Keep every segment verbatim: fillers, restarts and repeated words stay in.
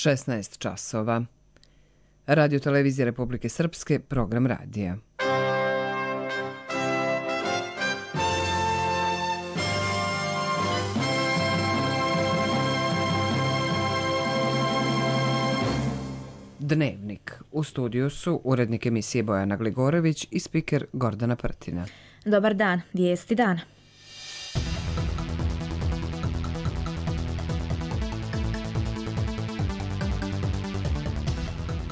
šesnaest časova. Radio televizije Republike Srpske, program radija. Dnevnik. U studiju su urednik emisije Bojana Gligorović i spiker Gordana Prtina. Dobar dan, vijesti dana.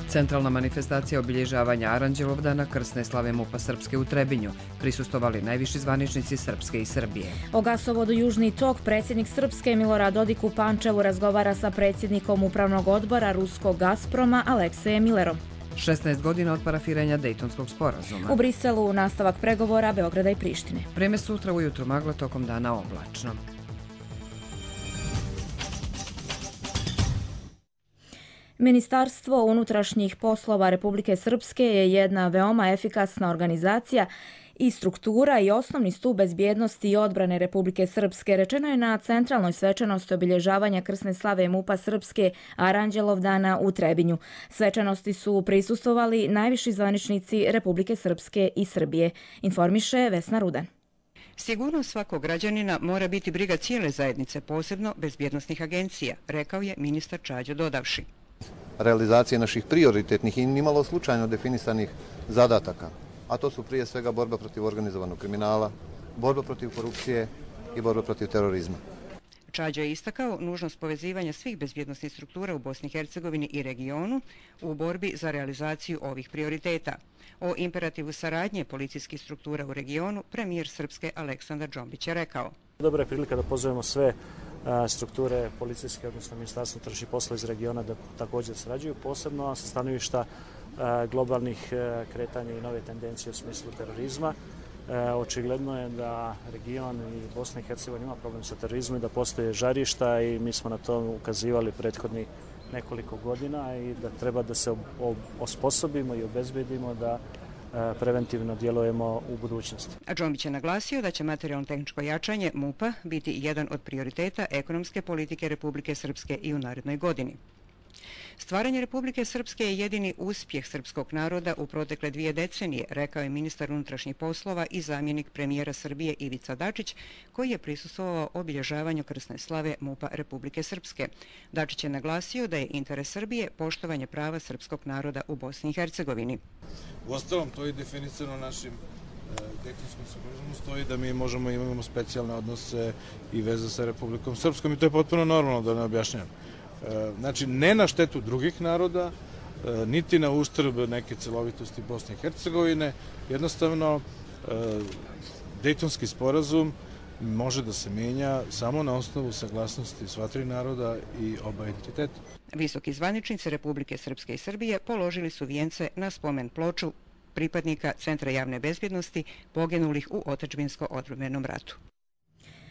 Centralna manifestacija obilježavanja Aranđelovdana krsne slave MUP-a Srpske u Trebinju. Prisustvovali najviši zvaničnici Srpske i Srbije. O gasovodu Južni tok predsjednik Srpske Milorad Dodik u Pančevu razgovara sa predsjednikom upravnog odbora ruskog Gazproma Aleksejem Millerom. šesnaest godina od parafiranja Dejtonskog sporazuma. U Briselu nastavak pregovora Beograda i Prištine. Vreme sutra ujutru magla, tokom dana oblačno. Ministarstvo unutrašnjih poslova Republike Srpske je jedna veoma efikasna organizacija i struktura i osnovni stup bezbjednosti i odbrane Republike Srpske, rečeno je na centralnoj svečanosti obilježavanja krsne slave MUP-a Srpske Aranđelovdana u Trebinju. Svečanosti su prisustvovali najviši zvaničnici Republike Srpske i Srbije, informiše Vesna Rudan. Sigurnost svakog građanina mora biti briga cijele zajednice, posebno bezbjednosnih agencija, rekao je ministar Čađo dodavši. Realizacije naših prioritetnih i nimalo slučajno definisanih zadataka, a to su prije svega borba protiv organizovanog kriminala, borba protiv korupcije i borba protiv terorizma. Čađo je istakao nužnost povezivanja svih bezbjednosnih struktura u Bosni i Hercegovini i regionu u borbi za realizaciju ovih prioriteta. O imperativu saradnje policijskih struktura u regionu premijer Srpske Aleksandar Džombić je rekao. Dobra je prilika da pozovemo sve strukture policijske, odnosno Ministarstvo unutrašnjih poslova iz regiona da također sarađuju, posebno sa stanovišta globalnih kretanja i nove tendencije u smislu terorizma. Očigledno je da region i Bosna i Hercegovina ima problem sa terorizmom i da postoje žarišta i mi smo na to ukazivali prethodnih nekoliko godina i da treba da se osposobimo i obezbedimo da preventivno djelujemo u budućnosti. A Džombić je naglasio da će materijalno-tehničko jačanje MUP-a biti jedan od prioriteta ekonomske politike Republike Srpske i u narednoj godini. Stvaranje Republike Srpske je jedini uspjeh srpskog naroda u protekle dvije decenije, rekao je ministar unutrašnjih poslova i zamjenik premijera Srbije Ivica Dačić, koji je prisustvovao obilježavanju krsne slave MUP-a Republike Srpske. Dačić je naglasio da je interes Srbije poštovanje prava srpskog naroda u Bosni i Hercegovini. Uostalom, to je definicirano našim Dejtonskom sporazumu, stoji da mi možemo imamo specijalne odnose i veze sa Republikom Srpskom i to je potpuno normalno, da ne objašnjam. Znači, ne na štetu drugih naroda, niti na uštrb neke celovitosti Bosne i Hercegovine. Jednostavno, Dejtonski sporazum može da se menja samo na osnovu saglasnosti sva tri naroda i oba entiteta. Visoki zvaničnici Republike Srpske i Srbije položili su vijence na spomen ploču pripadnika Centra javne bezbjednosti poginulih u otadžbinsko-odbrambenom ratu.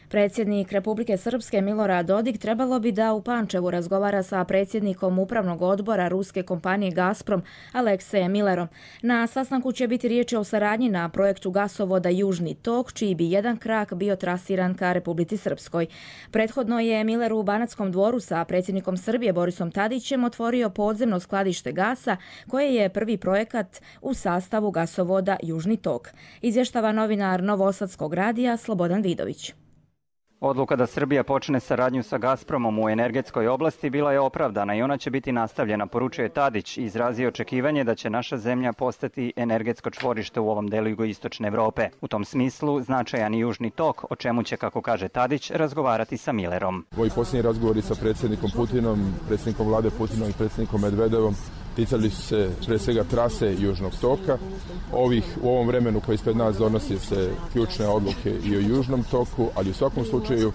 Predsjednik Republike Srpske Milorad Dodik trebalo bi da u Pančevu razgovara sa predsjednikom upravnog odbora ruske kompanije Gazprom Aleksejem Millerom. Na sastanku će biti riječ o saradnji na projektu gasovoda Južni tok, čiji bi jedan krak bio trasiran ka Republici Srpskoj. Prethodno je Miller u Banatskom dvoru sa predsjednikom Srbije Borisom Tadićem otvorio podzemno skladište gasa, koje je prvi projekat u sastavu gasovoda Južni tok. Izvještava novinar Novosadskog radija Slobodan Vidović. Odluka da Srbija počne saradnju sa Gazpromom u energetskoj oblasti bila je opravdana i ona će biti nastavljena, poručuje Tadić i izrazio očekivanje da će naša zemlja postati energetsko čvorište u ovom delu jugoistočne Evrope. U tom smislu značajan i Južni tok, o čemu će, kako kaže Tadić, razgovarati sa Millerom. Ovi posljednji razgovori sa predsjednikom Putinom, predsjednikom vlade Putinom i predsjednikom Medvedevom ticali su se pre svega trase Južnog toka. Ovih, u ovom vremenu koji ispred nas donosi se ključne odluke i o Južnom toku, ali u svakom slučaju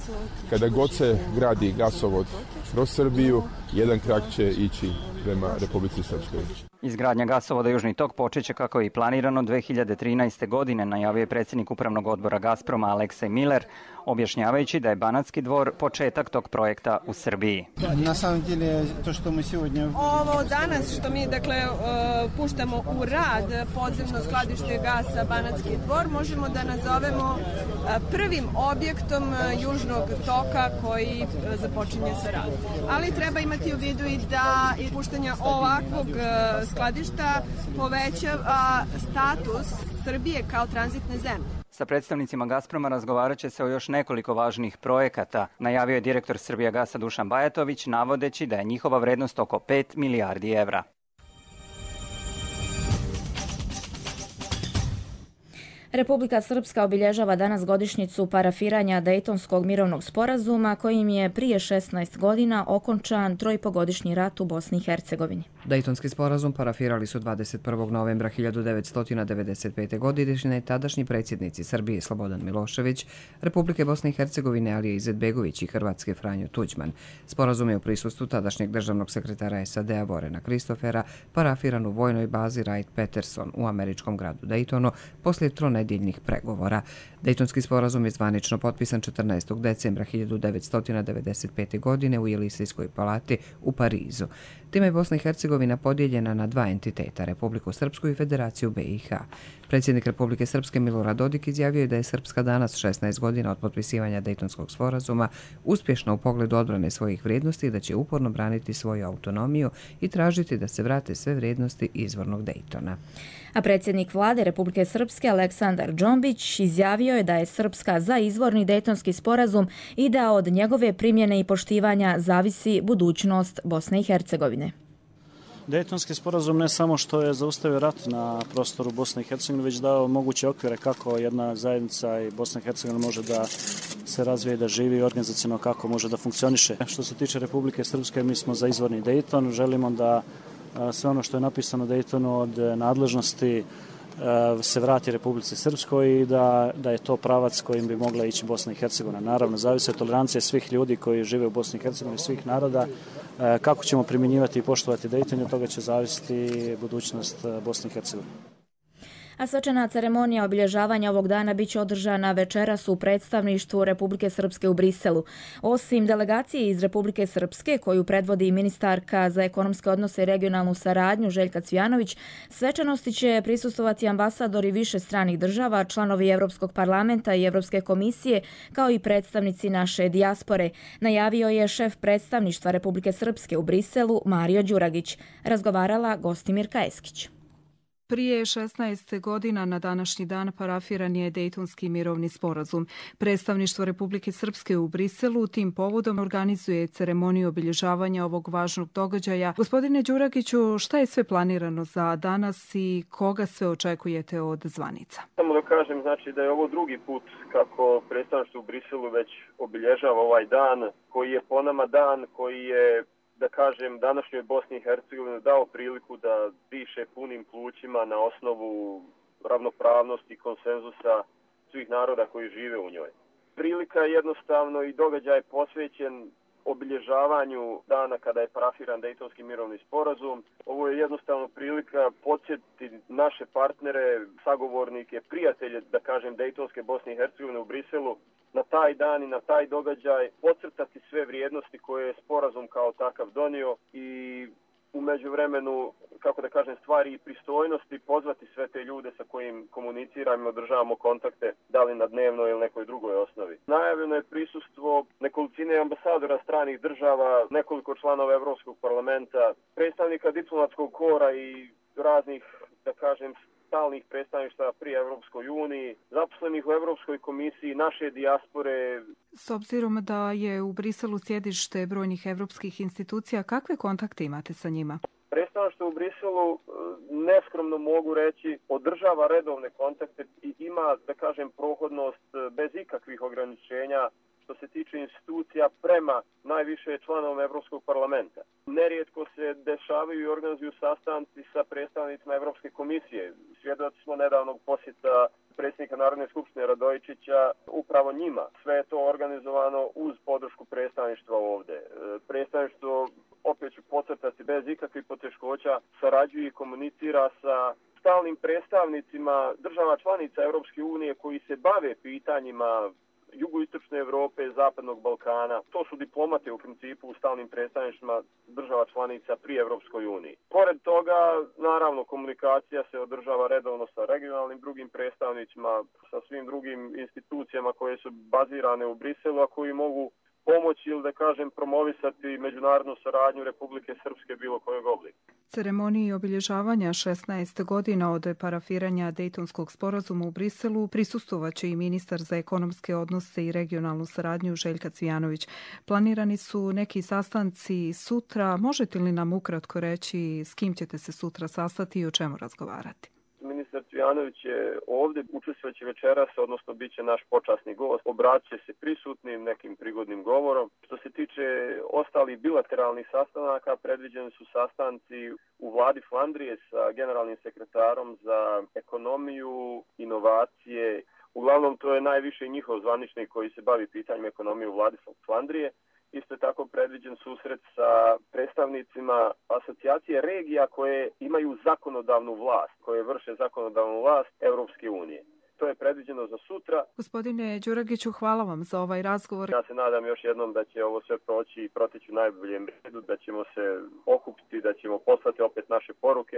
kada god se gradi gasovod kroz Srbiju, jedan krak će ići prema Republici Srpskoj. Izgradnja gasovoda Južni tok počeće kako je i planirano dve hiljade trinaeste. godine, najavio je predsjednik upravnog odbora Gazproma Aleksej Miller. objašnjavajući da je Banatski dvor početak tog projekta u Srbiji. Na samom деле, to što mi сегодня... Ovo danas što mi dakle puštamo u rad podzemno skladište gasa Banatski dvor možemo da nazovemo prvim objektom južnog toka koji započinje sa radom. Ali treba imati u vidu i da puštanje ovakvog skladišta povećava status Srbije kao tranzitne zemlje. Sa predstavnicima Gazproma razgovarat će se o još nekoliko važnih projekata, najavio je direktor Srbijagasa Dušan Bajatović, navodeći da je njihova vrednost oko pet milijardi evra. Republika Srpska obilježava danas godišnjicu parafiranja Dejtonskog mirovnog sporazuma kojim je prije šesnaest godina okončan trojpogodišnji rat u Bosni i Hercegovini. Dejtonski sporazum parafirali su dvadeset prvog novembra hiljadu devetsto devedeset pete. godine tadašnji predsjednici Srbije Slobodan Milošević, Republike Bosne i Hercegovine Alija Izetbegović i Hrvatske Franjo Tuđman. Sporazum je u prisustvu tadašnjeg državnog sekretara S A D-a Vorena Kristofera parafiran u vojnoj bazi Wright-Patterson u američkom gradu Dejtonu poslije tronedjeljnih pregovora. Dejtonski sporazum je zvanično potpisan četrnaestog decembra hiljadu devetsto devedeset pete. godine u Jelisejskoj palati u Parizu. Time je Bosna i Hercegovina podijeljena na dva entiteta, Republiku Srpsku i Federaciju B i H. Predsjednik Republike Srpske Milorad Dodik izjavio je da je Srpska danas, šesnaest godina od potpisivanja Dejtonskog sporazuma, uspješna u pogledu odbrane svojih vrijednosti i da će uporno braniti svoju autonomiju i tražiti da se vrate sve vrijednosti izvornog Dejtona. A predsjednik vlade Republike Srpske Aleksandar Džombić izjavio je da je Srpska za izvorni Dejtonski sporazum i da od njegove primjene i poštivanja zavisi budućnost Bosne i Hercegovine. Dejtonski sporazum ne samo što je zaustavio rat na prostoru Bosne i Hercegovine, već dao moguće okvire kako jedna zajednica i Bosna i Hercegovina može da se razvije, da živi organizacijno, kako može da funkcioniše. Što se tiče Republike Srpske, mi smo za izvorni Dejton, želimo da sve ono što je napisano u Dejtonu od nadležnosti se vrati Republici Srpskoj i da, da je to pravac kojim bi mogla ići Bosna i Hercegovina. Naravno, zavisi od tolerancije svih ljudi koji žive u Bosni i Hercegovini, svih naroda. Kako ćemo primjenjivati i poštovati Dejton, od toga će zavisiti budućnost Bosne i Hercegovine. A svečana ceremonija obilježavanja ovog dana biće održana večeras u predstavništvu Republike Srpske u Briselu. Osim delegacije iz Republike Srpske, koju predvodi ministarka za ekonomske odnose i regionalnu saradnju Željka Cvijanović, svečanosti će prisustvovati ambasadori više stranih država, članovi Evropskog parlamenta i Evropske komisije, kao i predstavnici naše dijaspore, najavio je šef predstavništva Republike Srpske u Briselu Mario Đuragić. Razgovarala Gostimirka Eskić. Prije šesnaest godina na današnji dan parafiran je Dejtonski mirovni sporazum. Predstavništvo Republike Srpske u Briselu tim povodom organizuje ceremoniju obilježavanja ovog važnog događaja. Gospodine Đuragiću, šta je sve planirano za danas i koga sve očekujete od zvanica? Samo da kažem, znači da je ovo drugi put kako predstavništvo u Briselu već obilježava ovaj dan, koji je po nama dan koji je, da kažem, današnjoj Bosni i Hercegovini dao priliku da diše punim plućima na osnovu ravnopravnosti i konsenzusa svih naroda koji žive u njoj. Prilika je jednostavno i događaj posvećen obilježavanju dana kada je parafiran Dejtonski mirovni sporazum. Ovo je jednostavno prilika podsjetiti naše partnere, sagovornike, prijatelje, da kažem, Dejtonske Bosne i Hercegovine u Briselu na taj dan i na taj događaj, podcrtati sve vrijednosti koje je sporazum kao takav donio i u međuvremenu, kako da kažem, stvari i pristojnosti, pozvati sve te ljude sa kojim komuniciramo i održavamo kontakte, da li na dnevnoj ili nekoj drugoj osnovi. Najavljeno je prisustvo nekolicine ambasadora stranih država, nekoliko članova Evropskog parlamenta, predstavnika diplomatskog kora i raznih, da kažem, stalnih predstavništva pri Evropskoj uniji, zaposlenih u Evropskoj komisiji, naše dijaspore. S obzirom da je u Briselu sjedište brojnih evropskih institucija, kakve kontakte imate sa njima? Predstavništvo u Briselu, neskromno mogu reći, održava redovne kontakte i ima, da kažem, prohodnost bez ikakvih ograničenja što se tiče institucija prema najviše članovima Evropskog parlamenta. Nerijetko se dešavaju i organizuju sastanci sa predstavnicima Evropske komisije. Svjedoci smo nedavnog posjeta predsjednika Narodne skupštine Radojičića upravo njima. Sve je to organizovano uz podršku predstavništva ovdje. Predstavništvo, opet ću podcrtati, bez ikakvih poteškoća sarađuje i komunicira sa stalnim predstavnicima država članica Evropske unije koji se bave pitanjima jugoistočne Evrope, zapadnog Balkana. To su diplomate u principu u stalnim predstavništvima država članica pri Evropskoj uniji. Pored toga, naravno, komunikacija se održava redovno sa regionalnim drugim predstavnicima, sa svim drugim institucijama koje su bazirane u Briselu, a koji mogu pomoći ili da kažem promovisati međunarodnu saradnju Republike Srpske bilo kojeg oblika. Ceremoniji obilježavanja šesnaest godina od parafiranja Dejtonskog sporazuma u Briselu prisustvovaće i ministar za ekonomske odnose i regionalnu saradnju Željka Cvijanović. Planirani su neki sastanci sutra. Možete li nam ukratko reći s kim ćete se sutra sastati i o čemu razgovarati? Ministar Cvijanović je ovdje, učestvovaće večeras, odnosno bit će naš počasni gost. Obratit će se prisutnim nekim prigodnim govorom. Što se tiče ostalih bilateralnih sastanaka, predviđeni su sastanci u vladi Flandrije sa generalnim sekretarom za ekonomiju, inovacije. Uglavnom, to je najviše njihov zvaničnik koji se bavi pitanjem ekonomije u vladi Flandrije. Isto je tako predviđen susret sa predstavnicima asocijacije regija koje imaju zakonodavnu vlast, koje vrše zakonodavnu vlast Europske unije. To je predviđeno za sutra. Gospodine Đuragiću, hvala vam za ovaj razgovor. Ja se nadam još jednom da će ovo sve proći i proteći u najboljem redu, da ćemo se okupiti, da ćemo poslati opet naše poruke,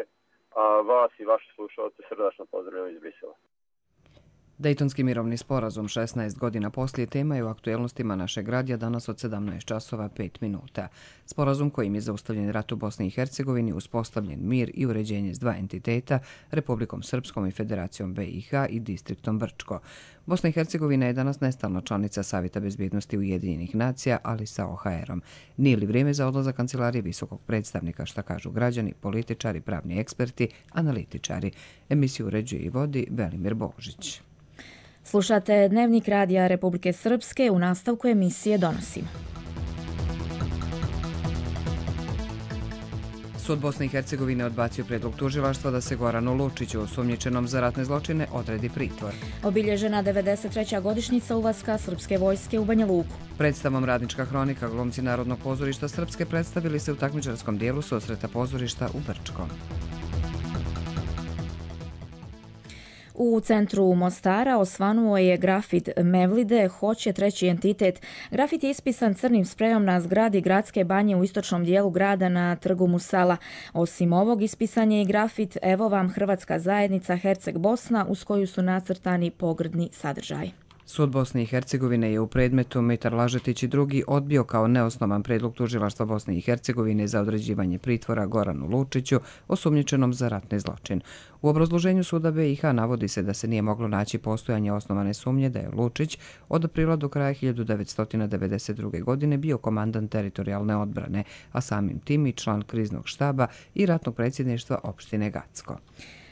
a vas i vaše slušalce srdačno pozdravljam iz Brisela. Dejtonski mirovni sporazum šesnaest godina poslije tema je u aktuelnostima našeg radija danas od sedamnaest časova pet minuta. Sporazum kojim je zaustavljen rat u Bosni i Hercegovini, uspostavljen mir i uređenje s dva entiteta, Republikom Srpskom i Federacijom B i H i distriktom Brčko. Bosna i Hercegovina je danas nestalna članica Savjeta bezbjednosti Ujedinjenih nacija, ali sa O H R-om. Nije li vrijeme za odlazak kancelarije visokog predstavnika, šta kažu građani, političari, pravni eksperti, analitičari? Emisiju uređuje i vodi Velimir Božić. Slušate Dnevnik radija Republike Srpske, u nastavku emisije donosimo. Sud Bosne i Hercegovine odbacio predlog tužilaštva da se Goranu Lučiću, osumnjičenom za ratne zločine, odredi pritvor. Obilježena devedeset treća godišnjica ulaska srpske vojske u Banja Luku. Predstavom Radnička hronika glumci Narodnog pozorišta Srpske predstavili se u takmičarskom dijelu susreta pozorišta u Brčkom. U centru Mostara osvanuo je grafit Mevlide hoće treći entitet. Grafit je ispisan crnim sprejom na zgradi gradske banje u istočnom dijelu grada na trgu Musala. Osim ovog ispisan je i grafit Evo vam Hrvatska zajednica Herceg Bosna, uz koju su nacrtani pogrdni sadržaj. Sud Bosne i Hercegovine je u predmetu Mitar Lažetić i drugi odbio kao neosnovan predlog tužilaštva Bosne i Hercegovine za određivanje pritvora Goranu Lučiću, osumnjičenom za ratni zločin. U obrazloženju suda B i H navodi se da se nije moglo naći postojanje osnovane sumnje da je Lučić od aprila do kraja hiljadu devetsto devedeset druge. godine bio komandant teritorijalne odbrane, a samim tim i član kriznog štaba i ratnog predsjedništva opštine Gacko.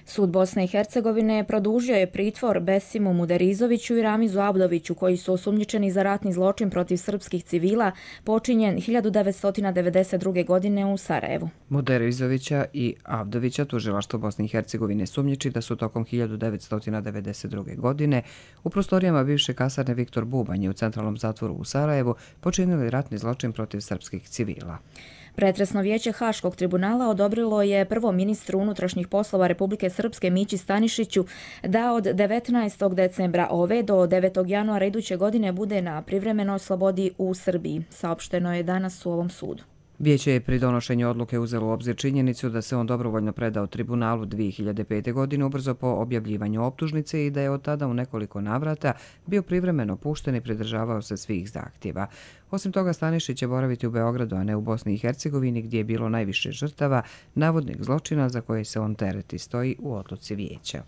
Sud Bosne i Hercegovine produžio je pritvor Besimu Muderizoviću i Ramizu Abdoviću, koji su osumnjičeni za ratni zločin protiv srpskih civila počinjen hiljadu devetsto devedeset druge. godine u Sarajevu. Muderizovića i Abdovića tužilaštvo Bosne i Hercegovine sumnjiči da su tokom hiljadu devetsto devedeset druge. godine u prostorijama bivše kasarne Viktor Bubanje u centralnom zatvoru u Sarajevu počinili ratni zločin protiv srpskih civila. Pretresno vijeće Haškog tribunala odobrilo je prvom ministru unutrašnjih poslova Republike Srpske Mići Stanišiću da od devetnaestog decembra ove do devetog januara iduće godine bude na privremenoj slobodi u Srbiji, saopšteno je danas u ovom sudu. Vijeće je pri donošenju odluke uzelo u obzir činjenicu da se on dobrovoljno predao tribunalu dvije hiljade pete. godine ubrzo po objavljivanju optužnice i da je od tada u nekoliko navrata bio privremeno pušten i pridržavao se svih zahtjeva. Osim toga, Stanišić će boraviti u Beogradu, a ne u Bosni i Hercegovini, gdje je bilo najviše žrtava navodnih zločina za koje se on tereti, stoji u odluci vijeća.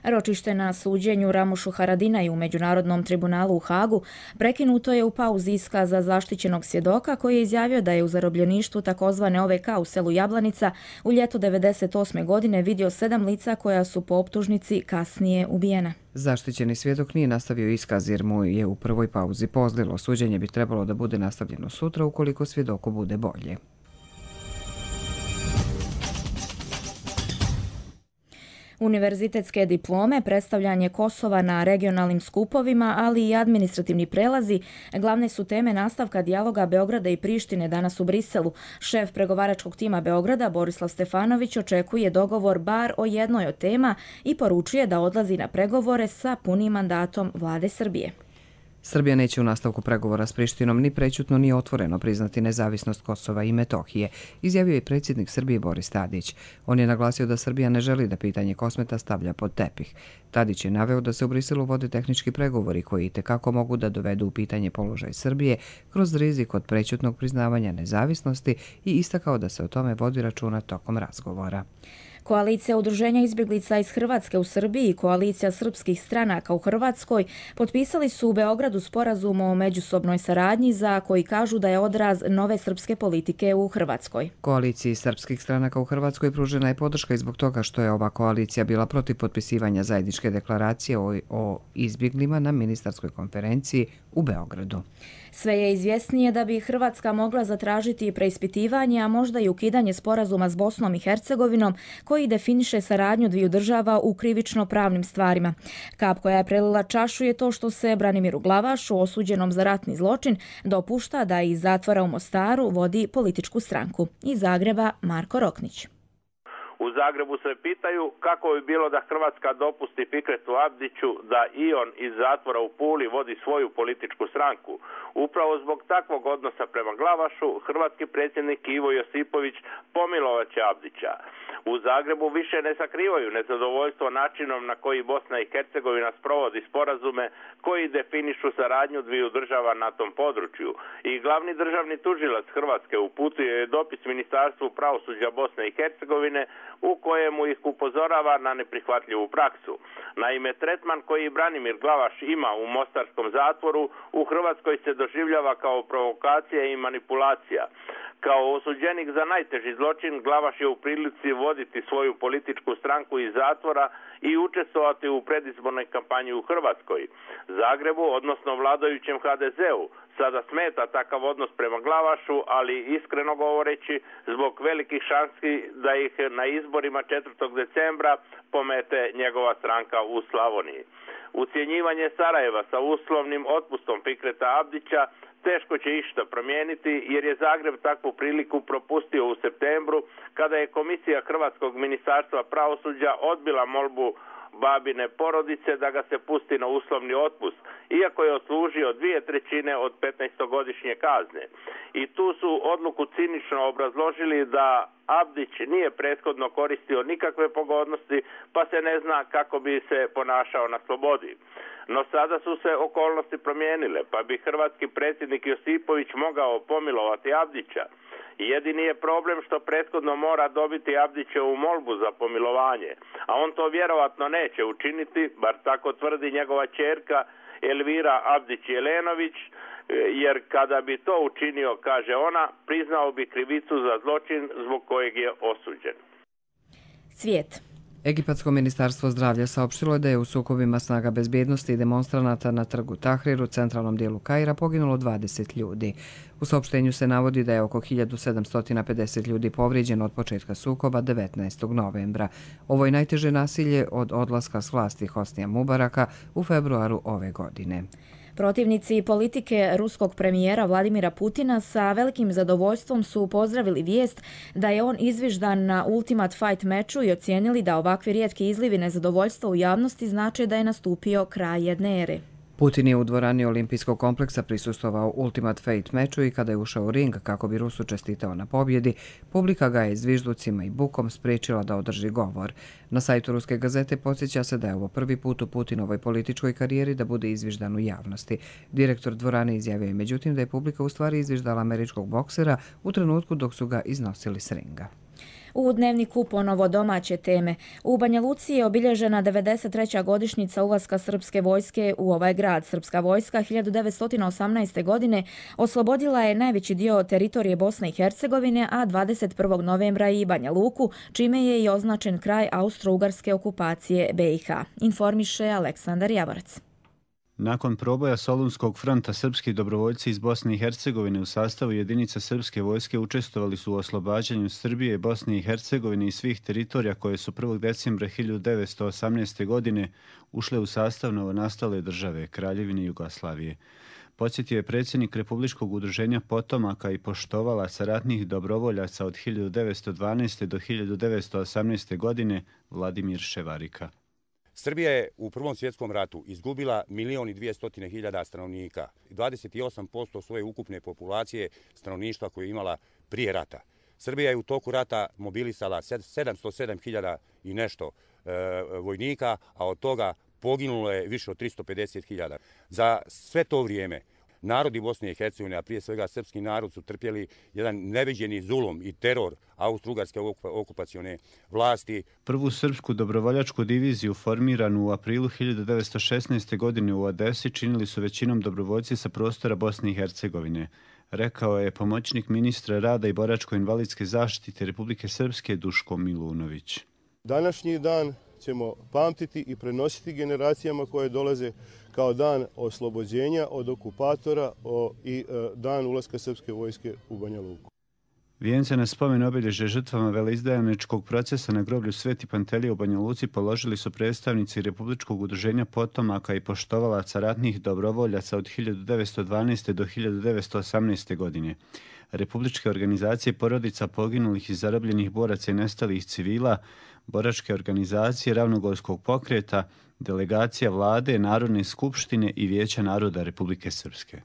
Ročište na suđenju Ramušu Haradinaju u Međunarodnom tribunalu u Hagu prekinuto je u pauzi iskaza zaštićenog svjedoka koji je izjavio da je u zarobljeništvu takozvane O V K u selu Jablanica u ljeto devedeset osme. godine vidio sedam lica koja su po optužnici kasnije ubijena. Zaštićeni svjedok nije nastavio iskaz jer mu je u prvoj pauzi pozlilo. Suđenje bi trebalo da bude nastavljeno sutra ukoliko svjedoku bude bolje. Univerzitetske diplome, predstavljanje Kosova na regionalnim skupovima, ali i administrativni prelazi, glavne su teme nastavka dijaloga Beograda i Prištine danas u Briselu. Šef pregovaračkog tima Beograda, Borislav Stefanović, očekuje dogovor bar o jednoj od tema i poručuje da odlazi na pregovore sa punim mandatom vlade Srbije. Srbija neće u nastavku pregovora s Prištinom ni prećutno ni otvoreno priznati nezavisnost Kosova i Metohije, izjavio je predsjednik Srbije Boris Tadić. On je naglasio da Srbija ne želi da pitanje Kosmeta stavlja pod tepih. Tadić je naveo da se u Briselu vode tehnički pregovori koji itekako mogu da dovedu u pitanje položaj Srbije kroz rizik od prećutnog priznavanja nezavisnosti i istakao da se o tome vodi računa tokom razgovora. Koalicija udruženja izbjeglica iz Hrvatske u Srbiji i koalicija srpskih stranaka u Hrvatskoj potpisali su u Beogradu sporazum o međusobnoj saradnji za koji kažu da je odraz nove srpske politike u Hrvatskoj. Koaliciji srpskih stranaka u Hrvatskoj pružena je podrška i zbog toga što je ova koalicija bila protiv potpisivanja zajedničke deklaracije o, o izbjeglima na ministarskoj konferenciji u Beogradu. Sve je izvjesnije da bi Hrvatska mogla zatražiti preispitivanje, a možda i ukidanje sporazuma s Bosnom i Hercegovinom koji definiše saradnju dviju država u krivično-pravnim stvarima. Kap koja je prelila čašu je to što se Branimiru Glavašu, osuđenom za ratni zločin, dopušta da iz zatvora u Mostaru vodi političku stranku. Iz Zagreba Marko Roknić. U Zagrebu se pitaju kako bi bilo da Hrvatska dopusti Fikretu Abdiću da i on iz zatvora u Puli vodi svoju političku stranku. Upravo zbog takvog odnosa prema Glavašu, hrvatski predsjednik Ivo Josipović pomilovat će Abdića. U Zagrebu više ne sakrivaju nezadovoljstvo načinom na koji Bosna i Hercegovina sprovodi sporazume koji definišu saradnju dviju država na tom području. I glavni državni tužilac Hrvatske uputio je dopis Ministarstvu pravosuđa Bosne i Hercegovine u kojemu ih upozorava na neprihvatljivu praksu. Naime, tretman koji Branimir Glavaš ima u mostarskom zatvoru u Hrvatskoj se doživljava kao provokacija i manipulacija. Kao osuđenik za najteži zločin, Glavaš je u prilici voditi svoju političku stranku iz zatvora i učestvovati u predizbornoj kampanji u Hrvatskoj. Zagrebu, odnosno vladajućem ha de zeu, sada smeta takav odnos prema Glavašu, ali iskreno govoreći, zbog velikih šansi da ih na izborima četvrtog decembra pomete njegova stranka u Slavoniji. Ucjenjivanje Sarajeva sa uslovnim otpustom Fikreta Abdića teško će išta promijeniti jer je Zagreb takvu priliku propustio u septembru kada je Komisija Hrvatskog ministarstva pravosuđa odbila molbu babine porodice da ga se pusti na uslovni otpust, iako je odslužio dvije trećine od petnaestogodišnje kazne. I tu su odluku cinično obrazložili da Abdić nije prethodno koristio nikakve pogodnosti, pa se ne zna kako bi se ponašao na slobodi. No sada su se okolnosti promijenile, pa bi hrvatski predsjednik Josipović mogao pomilovati Abdića. Jedini je problem što prethodno mora dobiti Abdićevu molbu za pomilovanje, a on to vjerovatno neće učiniti, bar tako tvrdi njegova ćerka Elvira Abdić-Jelenović, jer kada bi to učinio, kaže ona, priznao bi krivicu za zločin zbog kojeg je osuđen. Svijet. Egipatsko ministarstvo zdravlja saopštilo je da je u sukobima snaga bezbjednosti i demonstranata na trgu Tahrir u centralnom dijelu Kaira poginulo dvadeset ljudi. U saopštenju se navodi da je oko hiljadu sedamsto pedeset ljudi povrijeđeno od početka sukoba devetnaestog novembra. Ovo je najteže nasilje od odlaska s vlasti Hosnija Mubaraka u februaru ove godine. Protivnici politike ruskog premijera Vladimira Putina sa velikim zadovoljstvom su pozdravili vijest da je on izviždan na Ultimate Fight meču i ocijenili da ovakvi rijetki izlivi nezadovoljstva u javnosti znače da je nastupio kraj jedne ere. Putin je u dvorani Olimpijskog kompleksa prisustvovao Ultimate Fight meču i kada je ušao u ring kako bi Rusu čestitao na pobjedi, publika ga je zvižducima i bukom spriječila da održi govor. Na sajtu Ruske gazete podsjeća se da je ovo prvi put u Putinovoj političkoj karijeri da bude izviždan u javnosti. Direktor dvorane izjavio je međutim da je publika u stvari izviždala američkog boksera u trenutku dok su ga iznosili s ringa. U dnevniku ponovo domaće teme. U Banja Luci je obilježena devedeset treća godišnjica ulaska srpske vojske u ovaj grad. Srpska vojska hiljadu devetsto osamnaeste. godine oslobodila je najveći dio teritorije Bosne i Hercegovine, a dvadeset prvog novembra i Banja Luku, čime je i označen kraj austro-ugarske okupacije be i ha. Informiše Aleksandar Javorac. Nakon proboja Solunskog fronta, srpski dobrovoljci iz Bosne i Hercegovine u sastavu jedinica srpske vojske učestvovali su u oslobađanju Srbije, Bosne i Hercegovine i svih teritorija koje su prvog decembra hiljadu devetsto osamnaeste. godine ušle u sastav novonastale države, Kraljevine Jugoslavije. Podsjetio je predsjednik Republičkog udruženja potomaka i poštovalaca ratnih dobrovoljaca od hiljadu devetsto dvanaeste. do hiljadu devetsto osamnaeste. godine Vladimir Ševarika. Srbija je u Prvom svjetskom ratu izgubila milion i dvijestotine hiljada stanovnika, dvadeset osam posto svoje ukupne populacije stanovništva koje je imala prije rata. Srbija je u toku rata mobilisala sedamsto sedam hiljada i nešto e, vojnika, a od toga poginulo je više od tristo pedeset hiljada. Za sve to vrijeme narodi Bosne i Hercegovine, a prije svega srpski narod, su trpjeli jedan neviđeni zulum i teror austro-ugarske okupacione vlasti. Prvu srpsku dobrovoljačku diviziju formiranu u aprilu hiljadu devetsto šesnaeste. godine u Odesi činili su većinom dobrovoljci sa prostora Bosne i Hercegovine, rekao je pomoćnik ministra rada i boračko-invalidske zaštite Republike Srpske Duško Milunović. Današnji dan ćemo pamtiti i prenositi generacijama koje dolaze kao dan oslobođenja od okupatora i dan ulaska srpske vojske u Banja Luku. Vijence na spomen obilježje žrtvama veleizdajničkog procesa na groblju Sveti Pantelije u Banja Luci položili su predstavnici Republičkog udruženja potomaka i poštovalaca ratnih dobrovoljaca od hiljadu devetsto dvanaeste. do hiljadu devetsto osamnaeste. godine. Republičke organizacije porodica poginulih i zarobljenih boraca i nestalih civila, boračke organizacije Ravnogorskog pokreta, delegacija vlade, Narodne skupštine i Vijeća naroda Republike Srpske.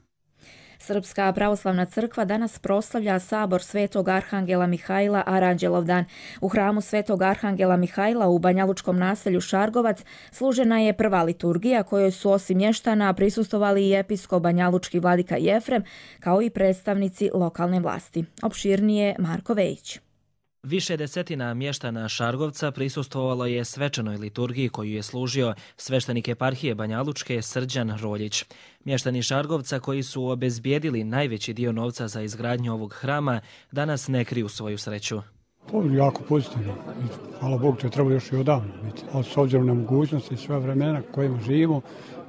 Srpska pravoslavna crkva danas proslavlja sabor Svetog Arhangela Mihajla Aranđelov dan. U hramu Svetog Arhangela Mihajla u banjalučkom naselju Šargovac služena je prva liturgija kojoj su osim mještana prisustvovali i episkop banjalučki vladika Jefrem kao i predstavnici lokalne vlasti. Opširnije Marko Vejić. Više desetina mještana Šargovca prisustvovalo je svečanoj liturgiji koju je služio sveštenik eparhije Banjalučke Srđan Roljić. Mještani Šargovca koji su obezbijedili najveći dio novca za izgradnju ovog hrama danas ne kriju svoju sreću. To je jako pozitivno. Hvala Bogu, to je trebalo još i odavno biti. A s obzirom na mogućnosti i sve vremena kojima živimo,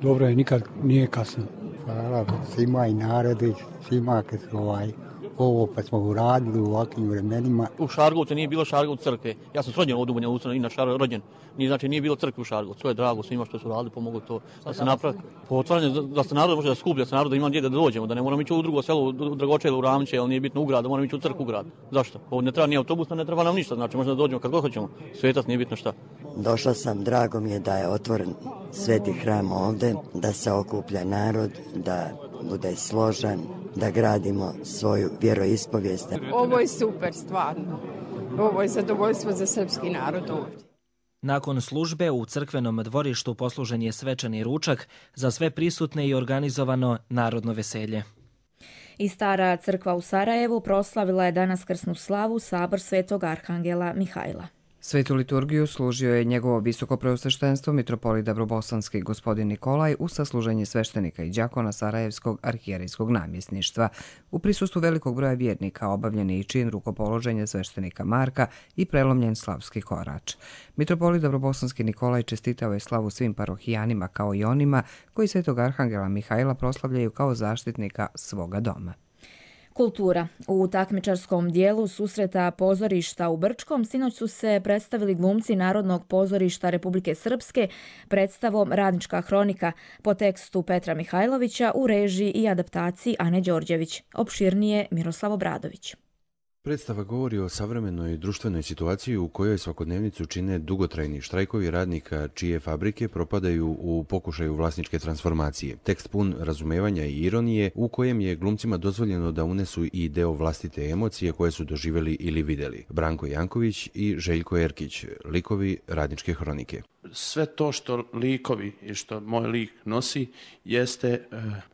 dobro je, nikad nije kasno. Hvala svima i narodi, svima kad su ovaj... ovo pa smo uradili u ovakvim vremenima. U Šargovcu nije bilo Šargovcu crkve. Ja sam rođen od u Banja Luci, inače rođen. Nije, znači nije bilo crkve u Šargovcu. To je drago svima što su radili, pomogli to da se napravi. Po otvaranju da se narod može da skuplja, da se narod da ima gdje da dođemo, da ne moramo ići u drugo selo, u Dragočele, u Ravniće, ali nije bitno u grad, da moramo ići u crkvu u grad. Zašto? Ovo ne treba ni autobus, ne treba nam ništa, znači možemo da dođemo kad god hoćemo. Svetac nije bitno šta. Došla sam, drago mi je da je otvoren sveti hram ovde, da se okuplja narod, da bude složan, da gradimo svoju vjeroispovijest. Ovo je super, stvarno. Ovo je zadovoljstvo za srpski narod ovdje. Nakon službe u crkvenom dvorištu poslužen je svečani ručak, za sve prisutne i organizovano narodno veselje. I Stara crkva u Sarajevu proslavila je danas krsnu slavu sabor Svetog Arhangela Mihajla. Svetu liturgiju služio je njegovo visoko preosveštenstvo mitropolit Dabrobosanski gospodin Nikolaj uz sasluženje sveštenika i đakona Sarajevskog arhijerejskog namjesništva. U prisustvu velikog broja vjernika obavljen je i čin rukopoloženja sveštenika Marka i prelomljen slavski korač. Mitropolit Dabrobosanski Nikolaj čestitao je slavu svim parohijanima kao i onima koji Svetog Arhangela Mihajla proslavljaju kao zaštitnika svoga doma. Kultura. U takmičarskom dijelu susreta pozorišta u Brčkom sinoć su se predstavili glumci Narodnog pozorišta Republike Srpske predstavom Radnička hronika po tekstu Petra Mihajlovića u režiji i adaptaciji Ane Đorđević. Opširnije Miroslav Obradović. Predstava govori o savremenoj društvenoj situaciji u kojoj svakodnevnicu čine dugotrajni štrajkovi radnika čije fabrike propadaju u pokušaju vlasničke transformacije. Tekst pun razumevanja i ironije u kojem je glumcima dozvoljeno da unesu i deo vlastite emocije koje su doživjeli ili vidjeli. Branko Janković i Željko Erkić, likovi Radničke hronike. Sve to što likovi i što moj lik nosi jeste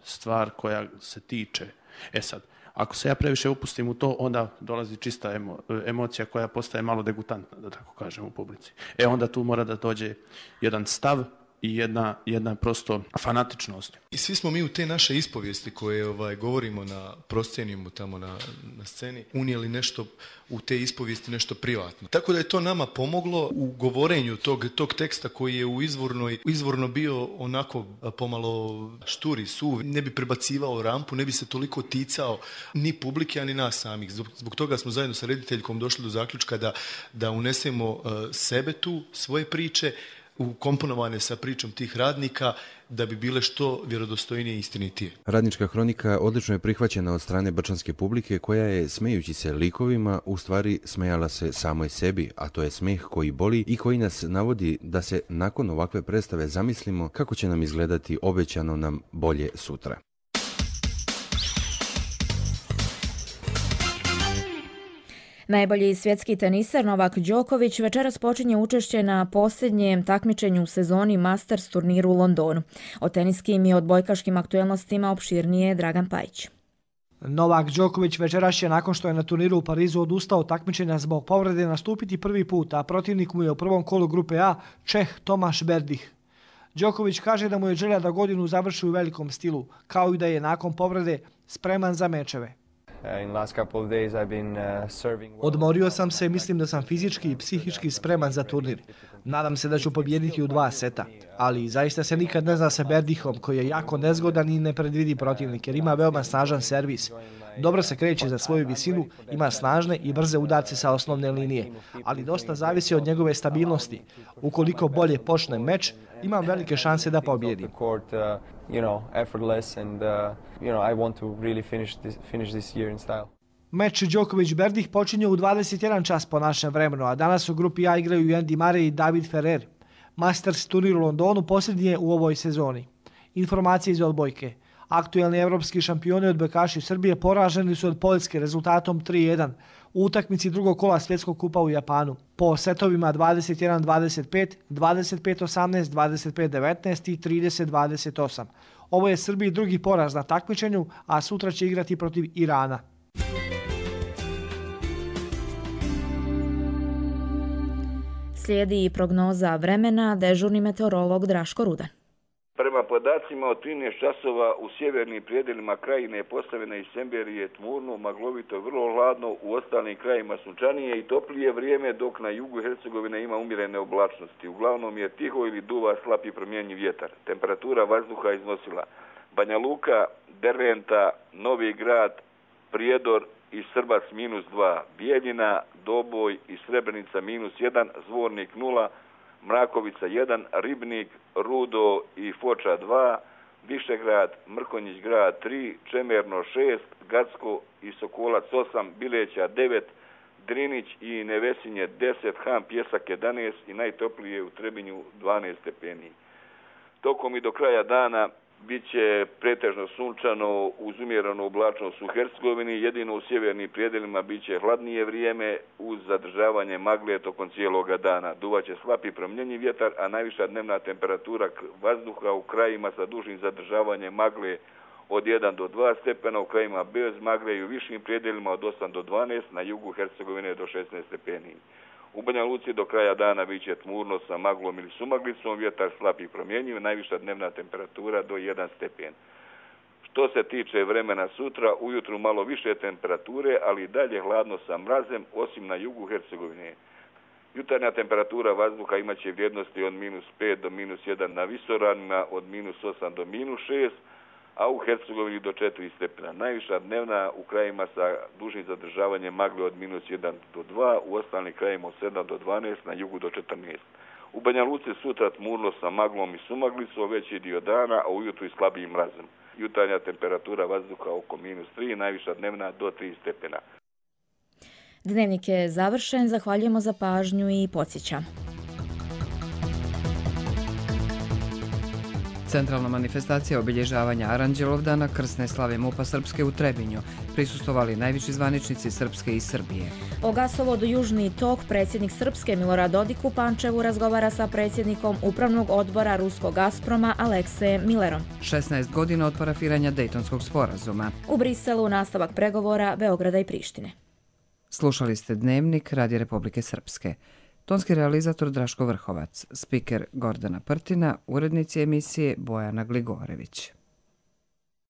stvar koja se tiče. E sad, ako se ja previše upustim u to, onda dolazi čista emo, emocija koja postaje malo degutantna, da tako kažem, u publici. E onda tu mora da dođe jedan stav i jedna, jedna prosto fanatičnost. I svi smo mi u te naše ispovijesti koje ovaj, govorimo na proscenijumu tamo na, na sceni, unijeli nešto u te ispovijesti, nešto privatno. Tako da je to nama pomoglo u govorenju tog, tog teksta koji je u izvornoj, izvorno bio onako pomalo šturi, suv, ne bi prebacivao rampu, ne bi se toliko ticao ni publike, ani nas samih. Zbog, zbog toga smo zajedno sa rediteljkom došli do zaključka da, da unesemo uh, sebe tu, svoje priče, ukomponovane sa pričom tih radnika, da bi bile što vjerodostojnije i istinitije. Radnička hronika odlično je prihvaćena od strane brčanske publike koja je, smejući se likovima, u stvari smejala se samoj sebi, a to je smeh koji boli i koji nas navodi da se nakon ovakve predstave zamislimo kako će nam izgledati obećano nam bolje sutra. Najbolji svjetski teniser Novak Đoković večeras počinje učešće na posljednjem takmičenju u sezoni Masters turniru u Londonu. O teniskim i odbojkaškim aktuelnostima opširnije Dragan Pajić. Novak Đoković večeras će, nakon što je na turniru u Parizu odustao od takmičenja zbog povrede, nastupiti prvi put, a protivnik mu je u prvom kolu grupe A Čeh Tomaš Berdih. Đoković kaže da mu je želja da godinu završi u velikom stilu, kao i da je nakon povrede spreman za mečeve. Odmorio sam se, mislim da sam fizički i psihički spreman za turnir. Nadam se da ću pobijediti u dva seta, ali zaista se nikad ne zna sa Berdihom, koji je jako nezgodan i nepredvidi protivnik jer ima veoma snažan servis. Dobro se kreće za svoju visinu, ima snažne i brze udarce sa osnovne linije, ali dosta zavisi od njegove stabilnosti. Ukoliko bolje počne meč, imam velike šanse da pobijedim. Meč Đoković-Berdih počinje u dvadeset jedan čas po našem vremenu, a danas u grupi A igraju Andy Murray i David Ferrer. Masters turnir u Londonu posljednji je u ovoj sezoni. Informacije iz odbojke. Aktuelni evropski šampioni odbojkaši Srbije poraženi su od Poljske rezultatom tri jedan u utakmici drugog kola svjetskog kupa u Japanu. Po setovima dvadeset jedan dvadeset pet, dvadeset pet osamnaest, dvadeset pet devetnaest i trideset dvadeset osam. Ovo je Srbiji drugi poraz na takmičenju, a sutra će igrati protiv Irana. Slijedi prognoza vremena, dežurni meteorolog Draško Rudan. Prema podacima od trinaest časova u sjevernim prijedelima krajine Posavine i Semberije tmurno, maglovito, vrlo hladno, u ostalim krajima sunčanije i toplije vrijeme, dok na jugu Hercegovine ima umjerene oblačnosti. Uglavnom je tiho ili duva slab i promjenjiv vjetar. Temperatura vazduha iznosila Banja Luka, Derventa, Novi Grad, Prijedor i Srbac minus dva, Bijeljina, Doboj i Srebrenica minus jedan, Zvornik nula, Mrakovica jedan, Ribnik, Rudo i Foča dva, Višegrad, Mrkonjić grad tri, Čemerno šest, Gacko i Sokolac osam, Bileća devet, Drinić i Nevesinje deset, Han Pjesak jedanaest i najtoplije u Trebinju dvanaest stepeni. Tokom i do kraja dana bit će pretežno sunčano uz umjerenu oblačnost u Hercegovini, jedino u sjevernim prijedelima bit će hladnije vrijeme uz zadržavanje magle tokom cijeloga dana. Duvaće slab i promjenjiv vjetar, a najviša dnevna temperatura vazduha u krajima sa dužim zadržavanjem magle od jedan do dva stepena, u krajima bez magle i u višim prijedelima od osam do dvanaest, na jugu Hercegovine do šesnaest stepeni. U Banja Luci do kraja dana bit će tmurno sa maglom ili sumaglicom, vjetar slab i promjenjiv, najviša dnevna temperatura do jedan stepen. Što se tiče vremena sutra, ujutru malo više temperature, ali i dalje hladno sa mrazem, osim na jugu Hercegovine. Jutarnja temperatura vazduha imaće vrijednosti od minus pet do minus jedan na visoravnima, od minus osam do minus šest, a u Hercegovini do četiri stepena. Najviša dnevna u krajima sa dužim zadržavanjem magle od minus jedan do dva, u ostalim krajima od sedam do dvanaest, na jugu do četrnaest. U Banja Luci sutra tmurno sa maglom i sumaglicom veći dio dana, a ujutru i slabijim mrazom. Jutarnja temperatura vazduha oko minus tri, najviša dnevna do tri stepena. Dnevnik je završen, zahvaljujemo za pažnju i podsjećam. Centralna manifestacija obilježavanja Aranđelovdana krsne slave MUP-a Srpske u Trebinju prisustvovali najviši zvaničnici Srpske i Srbije. O gasovodu Južni tok predsjednik Srpske Milorad Dodik u Pančevu razgovara sa predsjednikom Upravnog odbora ruskog Gazproma Aleksejem Millerom. šesnaest godina od parafiranja Dejtonskog sporazuma. U Briselu nastavak pregovora Beograda i Prištine. Slušali ste Dnevnik Radija Republike Srpske. Tonski realizator Draško Vrhovac, spiker Gordana Prtina, urednici emisije Bojana Gligorević.